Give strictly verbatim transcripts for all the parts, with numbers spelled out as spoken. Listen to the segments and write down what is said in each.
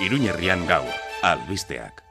Iruñerrian gaur, albisteak.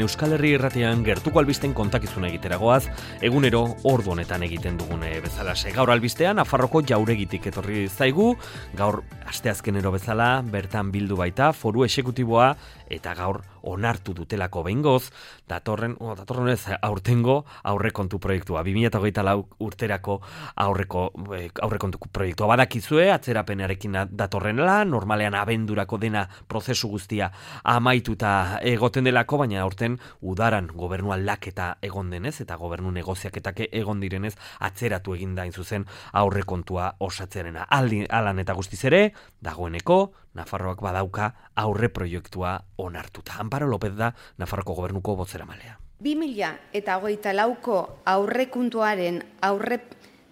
Euskal Herri Irratian gertuko albisten kontakizuna egiteragoaz, egunero ordu honetan egiten dugune bezalase. Gaur albistean, Nafarroko Jauregitik etorri zaigu, gaur asteazkenero bezala, bertan bildu baita, foru exekutiboa, eta gaur onartu dutelako behingoz, datorren, oh, datorren ez, aurtengo aurrekontu proiektua. bi mila hogeita lau urterako aurreko, eh, aurrekontu proiektua. Badakizue, atzerapenarekin datorrenela, normalean abendurako dena prozesu guztia amaituta egoten delako, baina aurten udaran gobernu aldaketa egon denez, eta gobernu negoziaketak egon direnez, atzeratu eginda hain zuzen aurrekontua osatzearena. Aldi, alan eta guztiz ere, dagoeneko, Nafarroak badauka aurre proiektua onartuta. Amparo López da Nafarroko gobernuko bozeramalea. bi mila hogeita lauko aurrekontuaren aurre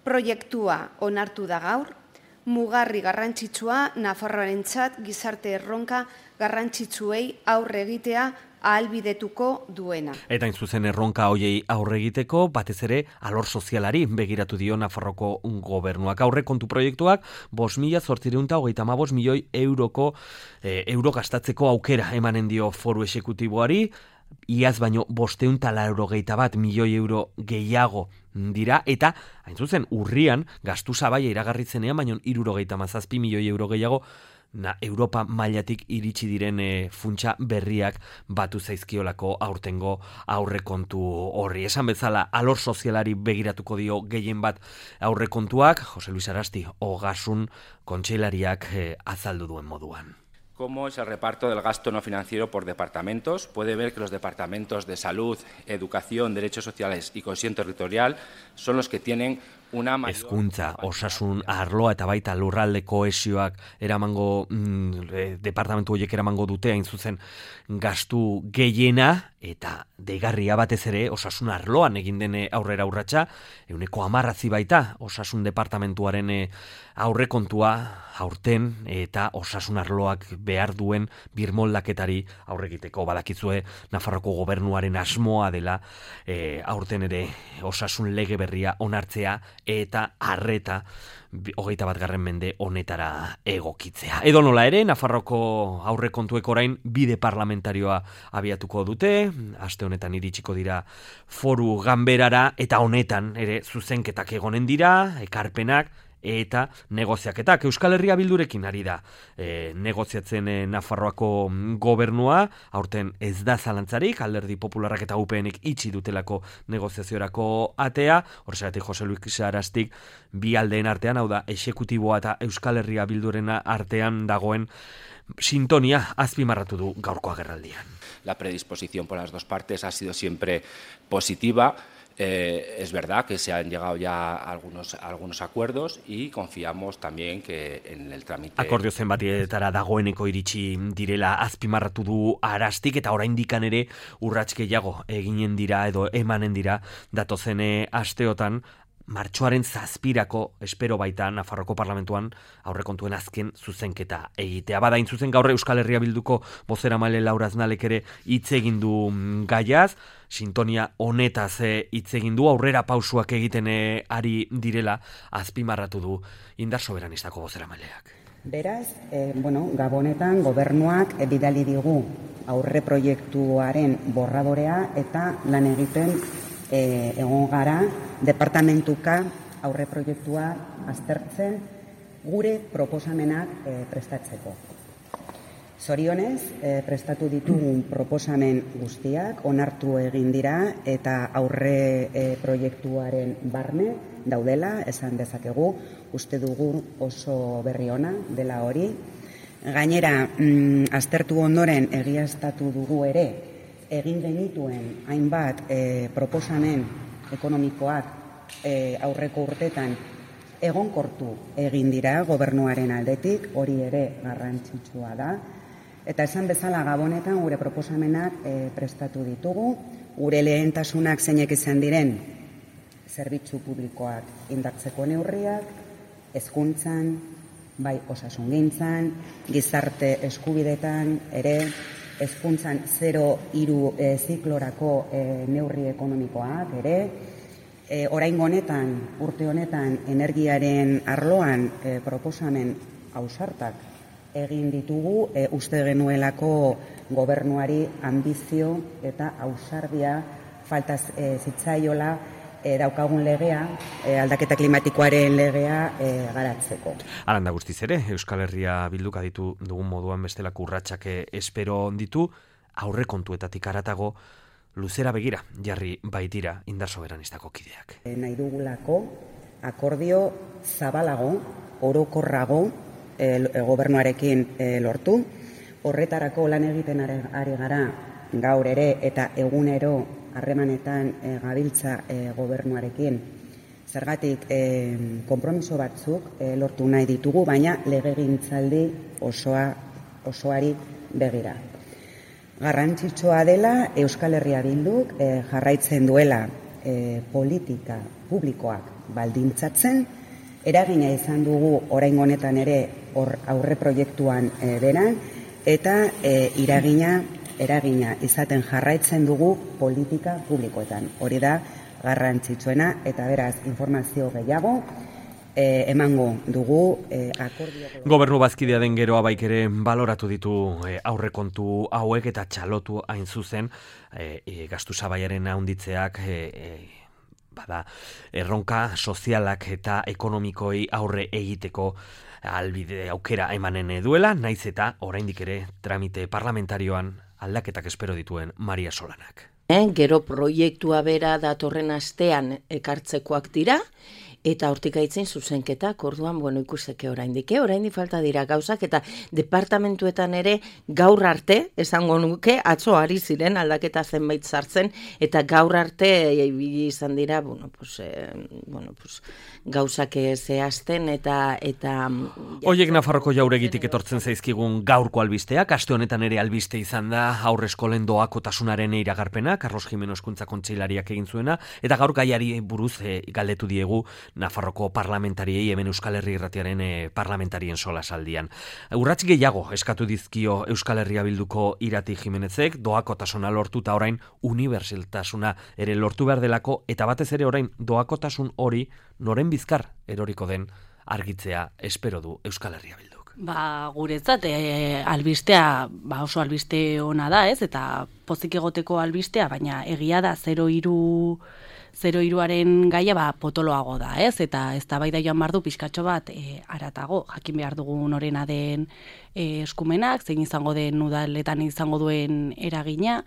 proiektua onartu da gaur, mugarri garrantzitsua Nafarroarentzat gizarte erronka garrantzitsuei aurre egitea ahalbidetuko duena. Eta hain zuzen erronka hoiei aurre egiteko, batez ere alor sozialari begiratu dio Nafarroko gobernuak. Aurrekontu proiektuak bost mila zortziehun eta hogeita hamabost milioi euroko eh, euro gastatzeko aukera emanen dio foru exekutiboari, iaz baino bosteun eta laurogeita bat milioi euro gehiago dira, eta hain zuzen urrian gastu sabaia iragarritzenean baino hirurogeita hamazazpi milioi euro gehiago Na, Europa mailatik iritsi diren e, funtsa berriak batu zaizkiolako aurtengo aurrekontu horri. Esan bezala, alor sozialari begiratuko dio gehien bat aurrekontuak, Jose Luis Arasti, Ogasun kontseilariak e, azaldu duen moduan. ¿Cómo es el reparto del gasto no financiero por departamentos? Puede ver que los departamentos de salud, educación, derechos sociales y cohesión territorial son los que tienen una mayor... Hezkuntza, osasun, arloa eta baita lurralde kohesioak eramango, mm, e, departamentu horiek eramango dute, hain zuzen gastu gehiena, eta deigarria batez ere osasun arloan egin dene aurrera urratsa, euneko hamarrazi baita osasun departamentuaren e, aurrekontua aurten eta osasun arloak behar duen birmoldaketari aurregiteko. Badakizue Nafarroko gobernuaren asmoa dela e, aurten ere osasun lege berria onartzea eta arreta hogeita bat garren mende honetara egokitzea. Edo nola ere, Nafarroko aurrekontuek orain bide parlamentarioa abiatuko dute, aste honetan iritsiko dira foru ganberara, eta honetan ere zuzenketak egonen dira, ekarpenak, eta negoziaketak. Euskal Herria Bildurekin ari da e, negoziatzen e, Nafarroako gobernua, aurten ez da zalantzarik, Alderdi Popularrak eta U P Nek itxi dutelako negoziaziorako atea, horregatik Jose Luis Arastik bi aldeen artean, hau da, exekutiboa eta Euskal Herria Bildurena artean dagoen sintonia azpimarratu du gaurko agerraldian. La predisposición por las dos partes ha sido siempre positiva. Eh, es verdad que se han llegado ya a algunos, a algunos acuerdos y confiamos también que en el trámite... Akordio zenbatietara dagoeneko iritsi direla azpimarratu du Arastik, eta oraindikan ere urrats gehiago eginen dira edo emanen dira datozen asteotan, martxoaren zazpirako espero baita Nafarroko parlamentuan aurrekontuen azken zuzenketa egitea. Bada hain zuzen gaur Euskal Herria Bilduko bozeramaile Laura Aznalek ere hitz egin du gaiaz, sintonia honetaz hitz egin du, aurrera pausuak egiten ari direla azpimarratu du indar soberanistako bozeramaileak. Beraz, eh, bueno, gabonetan gobernuak bidali digu aurre proiektuaren borradorea eta lan egiten E, egon gara, departamentuka aurre proiektua aztertzen gure proposamenak e, prestatzeko. Zorionez, e, prestatu ditugun proposamen guztiak onartu egin dira eta aurre e, proiektuaren barne daudela, esan dezakegu, uste dugu oso berri ona dela hori. Gainera, mm, aztertu ondoren egiaztatu dugu ere, egin genituen hainbat e, proposamen ekonomikoak e, aurreko urtetan egonkortu egin dira gobernuaren aldetik, hori ere garrantzitsua da. Eta esan bezala gabonetan gure proposamenak e, prestatu ditugu, gure lehentasunak zeinek izan diren zerbitzu publikoak indartzeko neurriak, hezkuntzan, bai osasungintzan, gizarte eskubidetan ere, hezkuntzan zero hiru e, ziklorako e, neurri ekonomikoak ere, E, oraingo honetan, urte honetan, energiaren arloan e, proposamen ausartak egin ditugu, e, uste genuelako gobernuari ambizio eta ausardia falta e, zitzaiola e, daukagun legea, e, aldaketa klimatikoaren legea e, garatzeko. Alanda guztiz ere, Euskal Herria Bilduk aditu dugun moduan bestelako urratsak espero ditu, aurrekontuetatik haratago luzera begira jarri baitira indar soberanistako kideak. E, nahi dugulako akordio zabalago, orokorrago e, gobernuarekin e, lortu. Horretarako lan egiten ari, ari gara gaur ere eta egunero harremanetan e, gabiltza e, gobernuarekin. Zergatik e, konpromiso batzuk e, lortu nahi ditugu, baina legegintzaldi osoa, osoari begira. Garrantzitsua dela Euskal Herria Bilduk e, jarraitzen duela e, politika publikoak baldintzatzen, eragina izan dugu oraingo honetan ere or, aurre proiektuan e, beran, eta e, iragina, eragina izaten jarraitzen dugu politika publikoetan. Hori da garrantzitsuena, eta beraz informazio gehiago E, emango dugu e, akordio... Gobernu bazkidea den geroa baik ere baloratu ditu e, aurrekontu hauek eta txalotu hain zuzen e, e, gastu sabaiaren handitzeak e, e, bada erronka sozialak eta ekonomikoi aurre egiteko albide aukera emanen duela, naiz eta oraindik ere tramite parlamentarioan aldaketak espero dituen Maria Solanak. Eh, gero proiektua bera datorren astean ekartzekoak dira, eta hortik aitzin zuzenketak, orduan, bueno, ikusteke oraindik, eh? oraindik falta dira gauzak, eta departamentuetan ere gaur arte, esango nuke, atzo ari ziren aldaketa zenbait sartzen, eta gaur arte ibili izan dira, bueno, pues, eh, bueno, pues, gauzak zehazten, eta... eta Oiek Nafarroko jauregitik etortzen zaizkigun gaurko albisteak, aste honetan ere albiste izan da aurre eskolen doakotasunaren iragarpena, Carlos Jimeno Hezkuntza Kontseilariak egin zuena, eta gaur gaiari buruz e, galdetu diegu Nafarroko parlamentariei hemen Euskal Herri Irratiaren e, parlamentarien solasaldian. Urrats gehiago eskatu dizkio Euskal Herria Bilduko Irati Jimenezek, doakotasuna lortu eta orain unibertsaltasuna ere lortu behar delako, eta batez ere orain doakotasun hori noren bizkar eroriko den argitzea espero du Euskal Herria Bilduk. Ba, guretzat, e, albistea, ba oso albiste ona da, ez? Eta pozik egoteko albistea, baina egia da zero hiru zero hiruaren gaia ba potoloago da, ez? Eta eztabaida joan bardu pizkatxo bat e, aratago, jakin behar dugu norena den e, eskumenak, zein izango den udaletan izango duen eragina,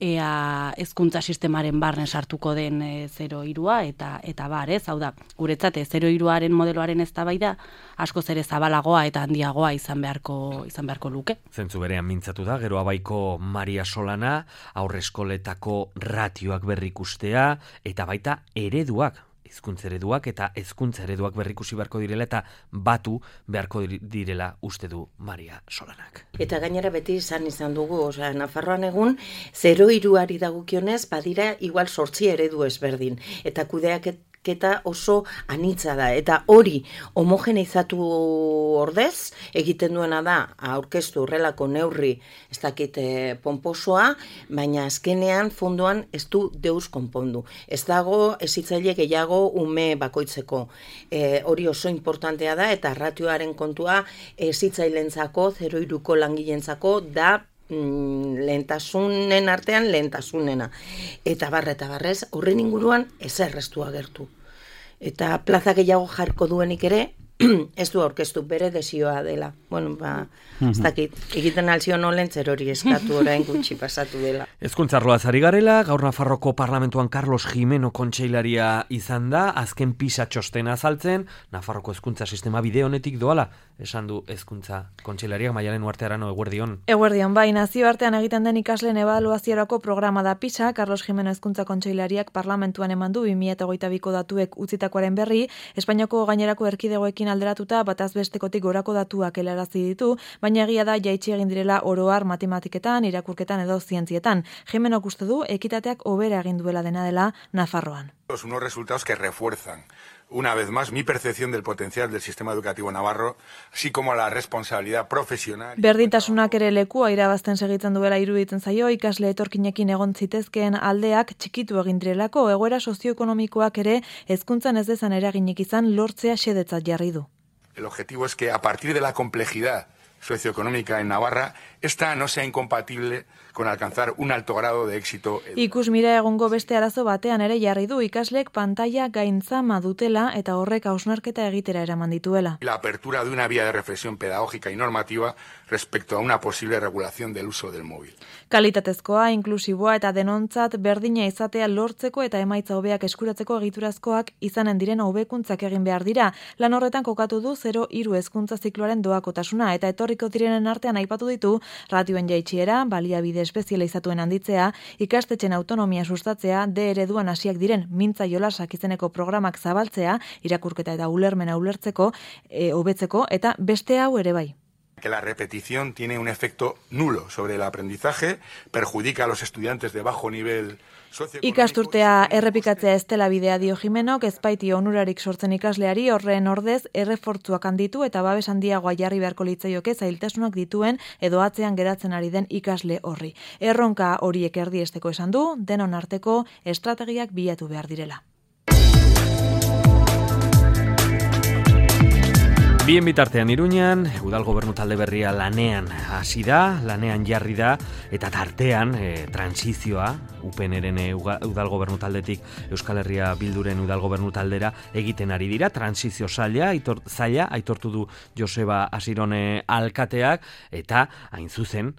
ea hezkuntza sistemaren barne sartuko den e, zero hirua eta eta bar, ez? Hau da, guretzat zero hiruaren modeloaren eztabaida askoz ere zabalagoa eta handiagoa izan beharko izan beharko luke. Zentzu berean mintzatu da, gero abaiko Maria Solana, aurreskoletako ratioak berrikustea, eta baita ereduak, hizkuntza ereduak eta hezkuntza ereduak berrikusi beharko direla eta batu beharko direla uste du Maria Solanak. Eta gainera beti izan izan dugu, osea, Nafarroan egun zero hiruari dagokionez badira igual zortzi eredu ezberdin, eta kudeak eta oso anitza da, eta hori homogeneizatu ordez egiten duena da aurkeztu horrelako neurri ez dakit eh, ponposoa, baina azkenean fondoan ez du deus konpondu. Ez dago hezitzaile gehiago ume bakoitzeko. E, hori oso importantea da, eta ratioaren kontua hezitzaileentzako zero hiruko langileentzako da lehentasunen artean lehentasunena. Eta barre eta barrez, horren inguruan ezer ez du agertu. Eta plaza gehiago jarko duenik ere, ez du aurkeztu, bere desioa dela. Bueno, ba, ez dakit, egiten alzion olen zer hori eskatu orain gutxi pasatu dela. Hezkuntza arloaz ari garela, gaur Nafarroko parlamentuan Carlos Jimeno kontseilaria izan da, azken pisa txostena azaltzen, Nafarroko hezkuntza sistema bide honetik doala, esan du hezkuntza kontseilariak. Maialen Uartearano, eguerdion. Eguerdion, bai, nazioartean egiten den ikasleen ebaluaziorako programa da pisa, Carlos Jimeno hezkuntza kontseilariak parlamentuan eman du bi mila hogeita biko datuek utzitakoaren berri, Espainiako gainerako erkidegoekin alderatuta bataz bestekotik gorako datuak helarazi ditu, baina egia da jaitsi egin direla oroar matematiketan, irakurketan edo zientzietan. Jimenok uste du ekitateak hobera egin duela dena dela Nafarroan. Unos resultados que refuerzan una vez más, mi percepción del potencial del sistema educativo navarro, así como la responsabilidad profesional. Berdintasunak ere lekua irabazten segitzen duela iruditzen zaio, ikasle etorkinekin egon zitezkeen aldeak txikitu egin direlako, egoera sozioekonomikoak ere hezkuntzan ez dezan eraginik izan lortzea xedetzat jarri du. El objetivo es que a partir de la complejidad socioeconómica en Navarra, esta no sea incompatible con alcanzar un alto grado de éxito. Ikus mira egungo beste arazo batean ere jarri du ikaslek pantalla gaintzama dutela eta horrek hausnarketa egitera eraman dituela. La apertura de una vía de reflexión pedagógica y normativa respecto a una posible regulación del uso del móvil. Kalitatezkoa, inklusiboa eta denontzat berdina izatea lortzeko eta emaitza hobeak eskuratzeko egiturazkoak izanen diren hobekuntzak egin behar dira. Lan horretan kokatu du zero hiru hezkuntza zikloaren doakotasuna eta etorriko direnen artean aipatu ditu ratioen jaitsiera, baliabide espezializatuen handitzea, ikastetxen autonomia sustatzea, de ereduan hasiak diren mintza jolasak izeneko programak zabaltzea, irakurketa eta ulermena ulertzeko, e, hobetzeko eta beste hau ere bai. Que la repetición tiene un efecto nulo sobre el aprendizaje, perjudica a los estudiantes de bajo nivel socioeconómico. Ikasturtea errepikatzea ez dela bidea dio Jimenok, ez baiti onurarik sortzen ikasleari, horren ordez errefortzuak handitu eta babes handiagoa jarri beharko litzaioke zailtasunak dituen edo atzean geratzen ari den ikasle horri. Erronka horiek erdiesteko esan du, denon arteko estrategiak bilatu behar direla. Bien bitartean Iruñan, udal gobernu talde berria lanean hasi da, lanean jarri da, eta tartean e, transizioa, U P N-ren e, udal gobernu taldetik Euskal Herria Bilduren udal gobernu taldera egiten ari dira, transizio zaila, aitor, zaila, aitortu du Joseba Asirone alkateak, eta hain zuzen,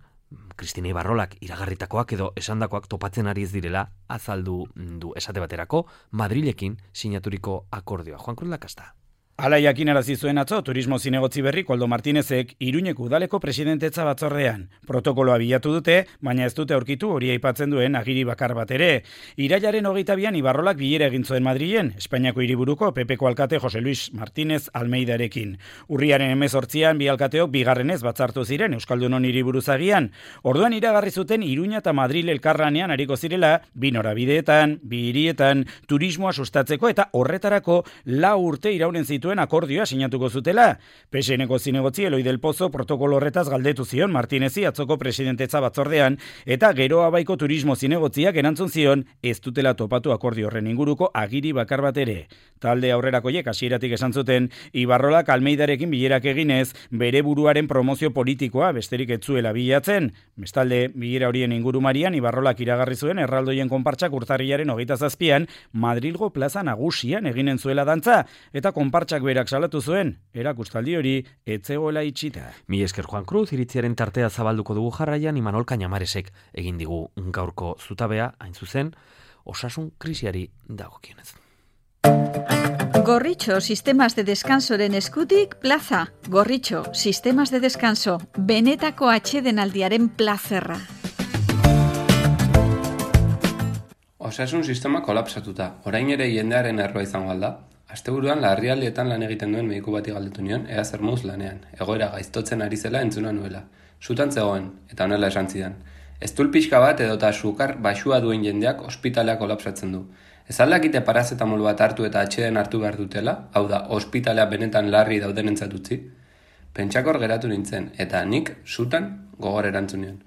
Kristina Ibarrolak iragarritakoak edo esandakoak topatzen ari ez direla azaldu du esate baterako Madrilekin sinaturiko akordioa. Juan Cruz Lakasta. Hala jakinarazi zuen atzo turismo zinegotzi berri Koldo Martinezek Iruñeko udaleko presidentetza batzordean. Protokoloa bilatu dute, baina ez dute aurkitu hori aipatzen duen agiri bakar bat ere. Irailaren hogeita bian Ibarrolak bilera egin zuen Madrilen, Espainiako hiriburuko P Pko alkate Jose Luis Martínez Almeidarekin. Urriaren hemezortzian bi alkateok bigarrenez batzartu ziren Euskaldunon hiriburuzagian. Orduan iragarri zuten Iruña eta Madril elkarlanean ariko zirela, bi norabideetan, bi hirietan, turismoa sustatzeko eta horretarako lau urte iraunen zitu akordioa sinatuko zutela. P S N-ko zinegotzi Eloi del Pozo protokolo horretaz galdetu zion Martinezi atzoko presidentetza batzordean eta gero abaiko turismo zinegotziak erantzun zion ez dutela topatu akordio horren inguruko agiri bakar bat ere. Talde aurrerakoiek hasieratik esan zuten Ibarrolak Almeidarekin bilerak eginez bere buruaren promozio politikoa besterik ez zuela bilatzen. Bestalde, bilera horien ingurumarian Ibarrolak iragarri zuen erraldoien konpartsak urtarrilaren hogeita zazpian Madrilgo plaza nagusian eginen zuela dantza eta konpartsak berak salatu zuen, erakustaldi hori etzegoela itxita. Mi esker Juan Cruz, iritziaren tartea zabalduko dugu jarraian, Imanol Cañamaresek egin digu gaurko zutabea, hain zuzen, osasun krisiari dagokionez. Gorritxo Sistemas de Descansoren eskutik plaza. Gorritxo Sistemas de Descanso, benetako atsedenaldiaren plazerra. Osasun sistema kolapsatuta, orain ere jendearen erroa izango alda. Asteburuan larrialdietan lan egiten duen mediku bati galdetu nion, ea zer moduz lanean, egoera gaiztotzen ari zela entzuna nuela. Sutan zegoen, eta honela esan zidan. Eztul pixka bat edota sukar baxua duen jendeak ospitalea kolapsatzen du. Ez aldakite parazetamol bat hartu eta atxeden hartu behar dutela, hau da, ospitalea benetan larri dauden entzatutzi. Pentsakor geratu nintzen, eta nik sutan gogor erantzun nion.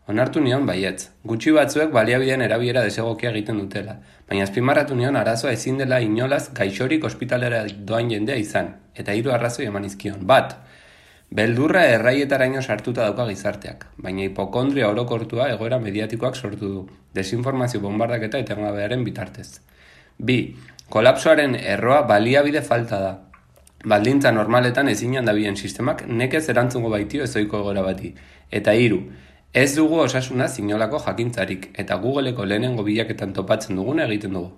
Onartu nion baietz, gutxi batzuek baliabideen erabiera desegokia egiten dutela, baina azpimarratu nion arazoa ezin dela inolaz gaixorik ospitalera doan jendea izan, eta hiru arrazoi eman izkion. Bat, beldurra erraietaraino sartuta dauka gizarteak, baina hipokondria orokortua egoera mediatikoak sortu du, desinformazio bombardaketa etengabearen bitartez. Bi, kolapsoaren erroa baliabide falta da. Baldintza normaletan ezinan dabien sistemak nekez erantzungo baitio ezoiko egoera bati. Eta hiru, ez dugu osasuna zinolako jakintzarik eta Googleko lehenengo bilaketan topatzen duguna egiten dugu.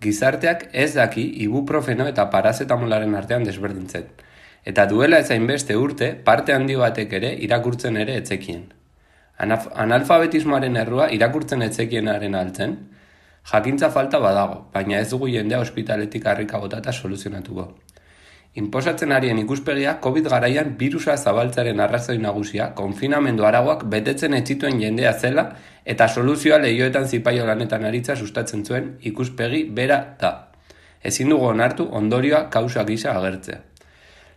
Gizarteak ez daki ibuprofeno eta parazetamolaren artean desberdintzen. Eta duela ezainbeste urte parte handi batek ere irakurtzen ere etzekien. Anaf- analfabetismoaren errua irakurtzen etzekienaren altzen, jakintza falta badago, baina ez dugu jendea ospitaletik harrika botata soluzionatuko. Inposatzen arien ikuspegia COVID garaian birusa zabaltzaren arrazoi nagusia, konfinamendu aragoak betetzen etzituen jendea zela eta soluzioa lehioetan zipaio lanetan aritza sustatzen zuen ikuspegi bera da. Ezin dugu onartu ondorioa kausa gisa agertzea.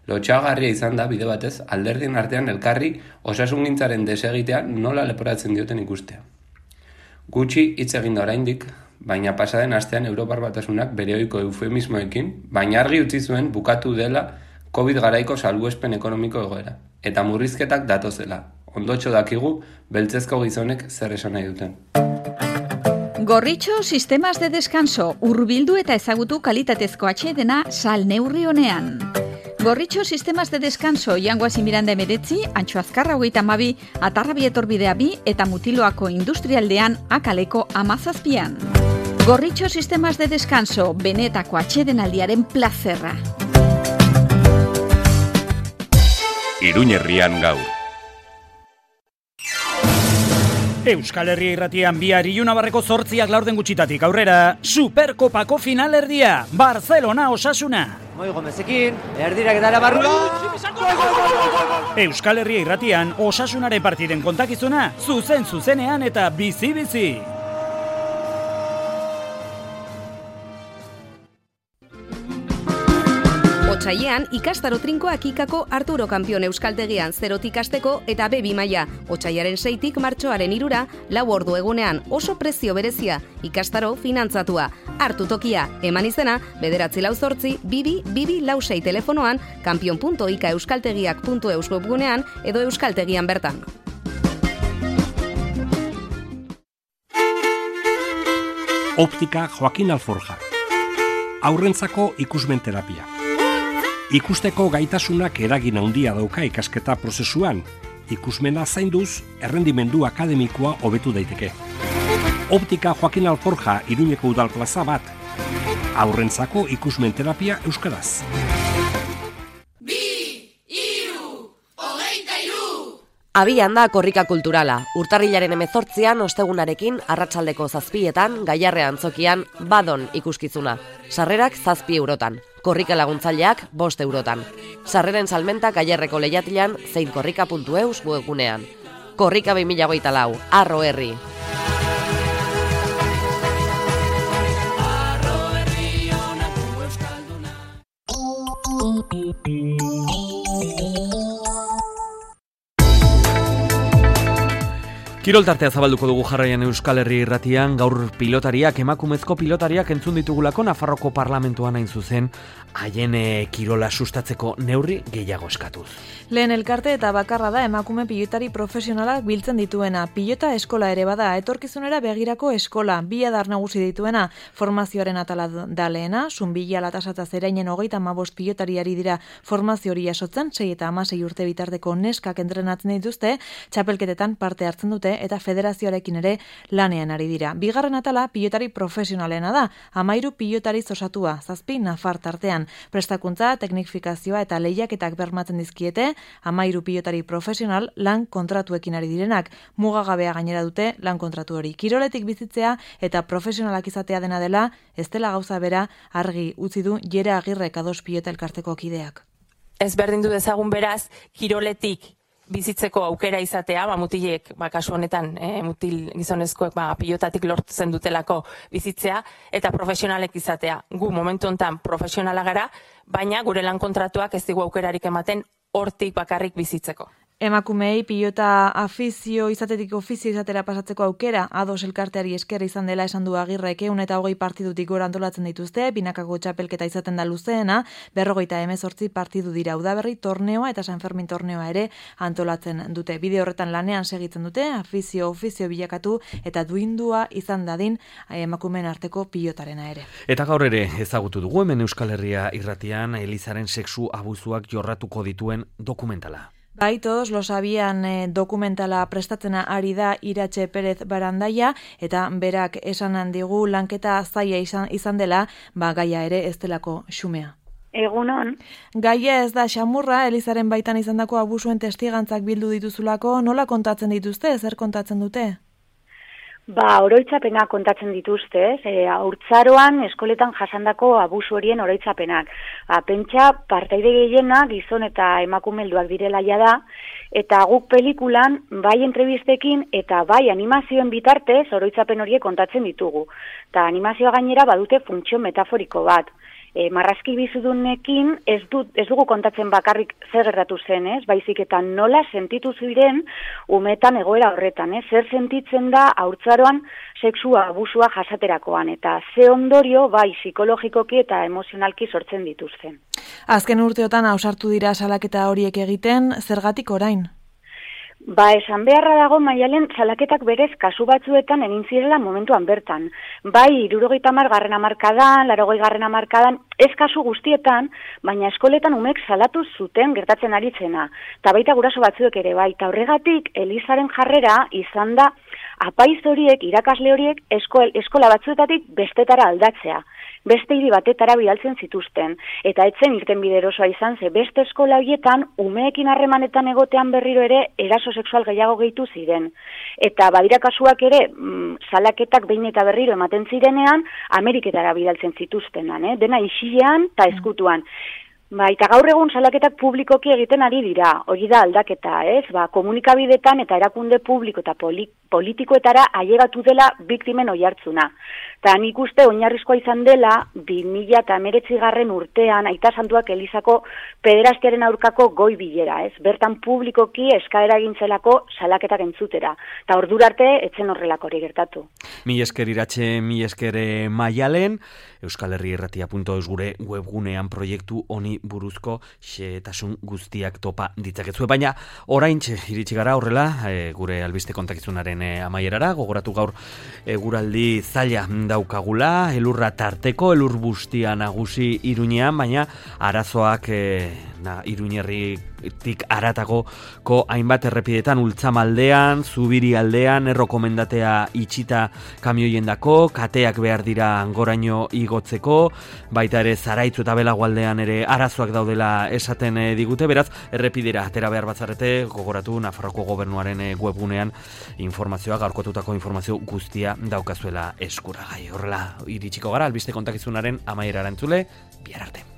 Lotxagarria izan da bide batez alderdien artean elkarri osasungintzaren desegitean nola leporatzen dioten ikustea. Gutxi hitz egin da oraindik, baina pasaden astean Europar Batasunak bere ohiko eufemismoekin, baina argi utzi zuen bukatu dela Covid garaiko salbuespen ekonomiko egoera, eta murrizketak datozela. Ondotxo dakigu beltzezko gizonek zer esan nahi duten. Gorritxo sistemas de descanso, hurbildu eta ezagutu kalitatezko atsedena sal neurri honean. Gorritxo sistemas de descanso Jangoazi Miranda emeretzi, Antxo Azkarra hogeita hamabi, Atarrabi etorbidea bi eta Mutiloako industrialdean akaleko amazazpian. Gorritxo sistemas de descanso, benetako atsedenaldiaren plazerra. Iruñerrian gaur. Euskal Herria irratian bihar Ilunabarreko zortziak laurden gutxitatik aurrera, Superkopako finalerdia, Barcelona Osasuna. Moi Gomezekin, erdirak edara barrura. Euskal Herria irratian Osasunaren partiden kontakizuna, zuzen zuzenean eta bizi-bizi. Otsailean, ikastaro trinkoak ikako Arturo Kampion euskaltegian zerotik hasteko eta be bi maila. Otsailaren seitik martxoaren hirura, lau ordu egunean oso prezio berezia, ikastaro finantzatua. Hartu tokia, eman izena, bederatzi lau zortzi, bibi, bibi lau sei telefonoan, kampion punto ika euskaltegiak punto eus webgunean edo euskaltegian bertan. Optika Joaquin Alforja. Aurrentzako ikusmen terapia. Ikusteko gaitasunak eragin handia dauka ikasketa prozesuan. Ikusmena zainduz, errendimendu akademikoa hobetu daiteke. Optika Joaquin Alforja Iruñeko udal plaza bat. Aurrentzako ikusmen terapia euskaraz. Abian da korrika kulturala. Urtarrilaren hemezortzian ostegunarekin arratsaldeko zazpietan Gaiarre antzokian badon ikuskizuna. Sarrerak zazpi eurotan. Korrika laguntzaileak bost eurotan. Sarreren salmenta Gaiarreko lehiatilan zein korrika puntu eus webgunean. Korrika bi mila hogeita lau, Arro Herri. Kiroltartea zabalduko dugu jarraian Euskal Herri irratian, gaur pilotariak, emakumezko pilotariak entzun ditugulako Nafarroko parlamentuan hain zuzen, haien kirola sustatzeko neurri gehiago eskatuz. Lehen elkarte eta bakarra da emakume pilotari profesionalak biltzen dituena. Pilota eskola ere bada, etorkizunera begirako eskola, bi adar nagusi dituena, formazioaren atala da lehena, Zunbila Latasatza Zerainen hogeita hamabost pilotariari dira formazio hori jasotzen, sei eta hamasei urte bitarteko neskak entrenatzen dituzte, txapelketetan parte hartzen dute eta federazioarekin ere lanean ari dira. Bigarren atala pilotari profesionalena da, hamairu pilotari osatua, zazpi nafar tartean, prestakuntza, teknifikazioa eta lehiaketak bermatzen dizkiete, hamairu pilotari profesional lan kontratuekin ari direnak, mugagabea gainera dute lan kontratu hori. Kiroletik bizitzea eta profesionalak izatea dena dela, ez dela gauza bera argi utzi du Jere Agirrek ados pilota elkarteko kideak. Ez berdin du dezagun beraz, kiroletik bizitzeko aukera izatea, ba, mutilek, ba, kasu honetan, e, mutil gizonezkoek ba, pilotatik lortzen dutelako bizitzea, eta profesionalek izatea. Gu momentu honetan profesionala gara, baina gure lan kontratuak ez digu aukerarik ematen hortik bakarrik bizitzeko. Emakumei pilota afizio izatetik ofizio izatera pasatzeko aukera, ados elkarteari esker izan dela esan du Agirrek ehun eta hogei partidutik gora antolatzen dituzte, binakako txapelketa izaten da luzeena, berrogeita hemezortzi partidu dira udaberri torneoa eta San Fermin torneoa ere antolatzen dute. Bide horretan lanean segitzen dute, afizio ofizio bilakatu eta duindua izan dadin emakumeen arteko pilotarena ere. Eta gaur ere ezagutu dugu hemen Euskal Herria irratian Elizaren sexu abuzuak jorratuko dituen dokumentala. Bai, todos lo sabían eh, dokumentala prestatzena ari da Iratxe Perez Barandaia, eta berak esan digu lanketa zaila izan, izan dela, ba gaia ere ez delako xumea. Egunon. Gaia ez da xamurra, Elizaren baitan izandako abusuen testigantzak bildu dituzulako, nola kontatzen dituzte, zer kontatzen dute? Ba, oroitzapenak kontatzen dituzte, e, haurtzaroan eskoletan jasandako abusu horien oroitzapenak. Ba, pentsa partaide gehiena gizon eta emakume helduak direla ja da, eta guk pelikulan bai entrebistekin eta bai animazioen bitartez oroitzapen horiek kontatzen ditugu. Eta animazioa gainera badute funtzio metaforiko bat. E, marrazki bizidunekin ez, du, ez dugu kontatzen bakarrik zer gertatu zen, ez? Baizik eta nola sentitu ziren umetan egoera horretan, ez? Zer sentitzen da haurtzaroan sexua abusua jasaterakoan, eta ze ondorio bai psikologikoki eta emozionalki sortzen dituzten. Azken urteotan ausartu dira salaketa horiek egiten, zergatik orain? Ba, esan beharra dago Maialen salaketak berez kasu batzuetan egin zirela momentuan bertan. Bai, hirurogeita hamar garren hamarkadan, laurogei garren hamarkadan, ez kasu guztietan, baina eskoletan umek salatu zuten gertatzen ari zena. Ta baita guraso batzuek ere bai, ta horregatik Elizaren jarrera izan da apaiz horiek, irakasle horiek esko, eskola batzuetatik bestetara aldatzea. Beste hiri batetara bidaltzen zituzten, eta etzen irten biderosoa izan ze beste eskola horietan umeekin harremanetan egotean berriro ere eraso sexual gehiago gehitu ziren. Eta badira kasuak ere, mm, salaketak behin eta berriro ematen zirenean, Ameriketara bidaltzen zituztenan, eh? Dena isilean eta eskutuan. Ba, eta gaur egun salaketak publikoki egiten ari dira, hori da aldaketa, ez? Ba, komunikabidetan eta erakunde publiko eta poli, politikoetara ailegatu dela biktimen oihartzuna. Ta nik uste oinarrizkoa izan dela bi mila hemeretzi garren urtean Aita Santuak Elizako pederastiaren aurkako goi bilera, ez? Bertan publikoki eskaera egintzelako salaketak entzutera. Ta ordura arte etzen horrelako hori gertatu. Mi esker Iratxe, mi esker Maialen, Euskal Herri Irratia punto eus gure webgunean proiektu honi buruzko xehetasun guztiak topa ditzakezue, baina oraintxe iritsi gara horrela e, gure albiste kontakizunaren e, amaierara, gogoratu gaur eguraldi zaila daukagula, elurra tarteko, elur bustia nagusi Iruñean, baina arazoak e, na, Iruñerritik aratagoko hainbat errepidetan, Ultzamaldean, Zubiri aldean, errokomendatea itxita kamioiendako, kateak behar dira goraino igotzeko, baita ere Zaraitzu eta Belagualdean ere arazoak daudela esaten e, digute, beraz, errepidera atera behar batzarete, gogoratu Nafarroko gobernuaren e, webgunean informazioa, gaurkotutako informazio guztia daukazuela eskuragai. Horrela, iritsiko gara, albiste kontakizunaren amaierara entzule, bihar arte.